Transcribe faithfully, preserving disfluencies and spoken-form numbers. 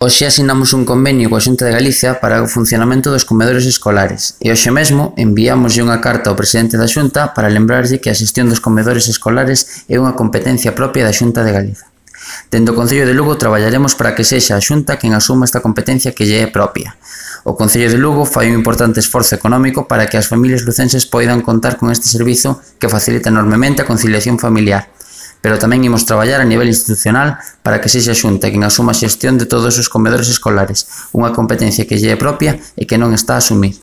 Hoxe asinamos un convenio coa Xunta de Galicia para o funcionamento dos comedores escolares e hoxe mesmo enviámoslle unha carta ao presidente da Xunta para lembrarlle que a xestión dos comedores escolares é unha competencia propia da Xunta de Galicia. Dende o Concello de Lugo traballaremos para que sexa a Xunta quen asuma esta competencia que lle é propia. O Concello de Lugo fai un importante esforzo económico para que as familias lucenses poidan contar con este servizo que facilita enormemente a conciliación familiar. Pero tamén imos traballar a nivel institucional para que sexa a Xunta quen asuma a xestión de todos os comedores escolares, unha competencia que lle é propia e que non está a asumir.